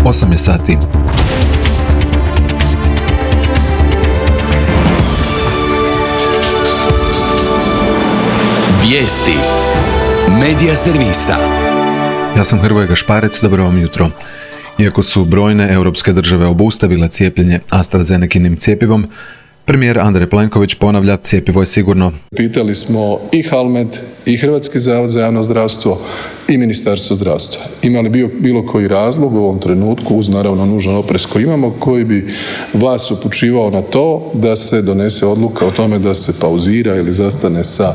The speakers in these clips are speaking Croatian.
8 je sati. Vijesti Medija servisa. Ja sam Hrvoje Gašparec, dobro vam jutro. Iako su brojne europske države obustavile cijepljenje AstraZenekinim cjepivom, premijer Andrej Plenković ponavlja, cjepivo je sigurno. Pitali smo i HALMED i Hrvatski zavod za javno zdravstvo i Ministarstvo zdravstva. Ima li bilo koji razlog u ovom trenutku, uz naravno nužan oprez koji imamo, koji bi vas upućivao na to da se donese odluka o tome da se pauzira ili zastane sa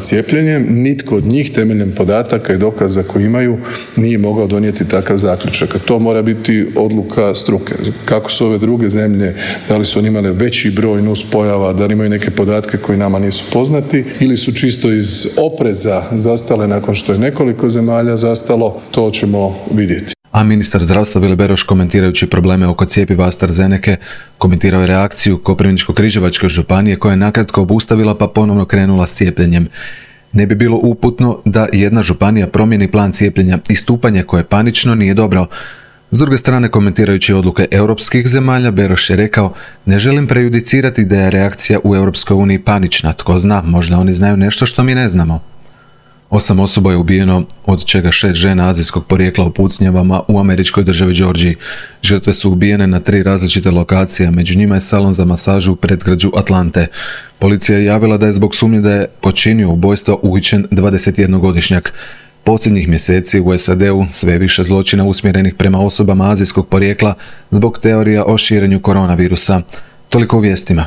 cijepljenjem? Nitko od njih temeljem podataka i dokaza koji imaju nije mogao donijeti takav zaključak. A to mora biti odluka struke. Kako su ove druge zemlje, da li su oni imale veći broj nuspojava, da li imaju neke podatke koji nama nisu poznati ili su čisto iz opreza zastale nakon što je nekoliko zemalja zastalo, to ćemo vidjeti. A ministar zdravstva Vili Beroš, komentirajući probleme oko cjepiva AstraZeneke, komentirao je reakciju Koprivničko-križevačke županije koja je nakratko obustavila pa ponovno krenula s cijepljenjem. Ne bi bilo uputno da jedna županija promijeni plan cijepljenja i stupanje koje panično nije dobro. S druge strane, komentirajući odluke europskih zemalja, Beroš je rekao: ne želim prejudicirati da je reakcija u Europskoj uniji panična, tko zna, možda oni znaju nešto što mi ne znamo. 8 osoba je ubijeno, od čega 6 žena azijskog porijekla u pucnjavama u američkoj državi Georgiji. Žrtve su ubijene na 3 različite lokacije, među njima je salon za masažu u predgrađu Atlante. Policija je javila da je zbog sumnje da je počinio ubojstvo uhićen 21-godišnjak. Posljednjih mjeseci u SAD-u sve više zločina usmjerenih prema osobama azijskog porijekla zbog teorija o širenju koronavirusa. Toliko u vijestima.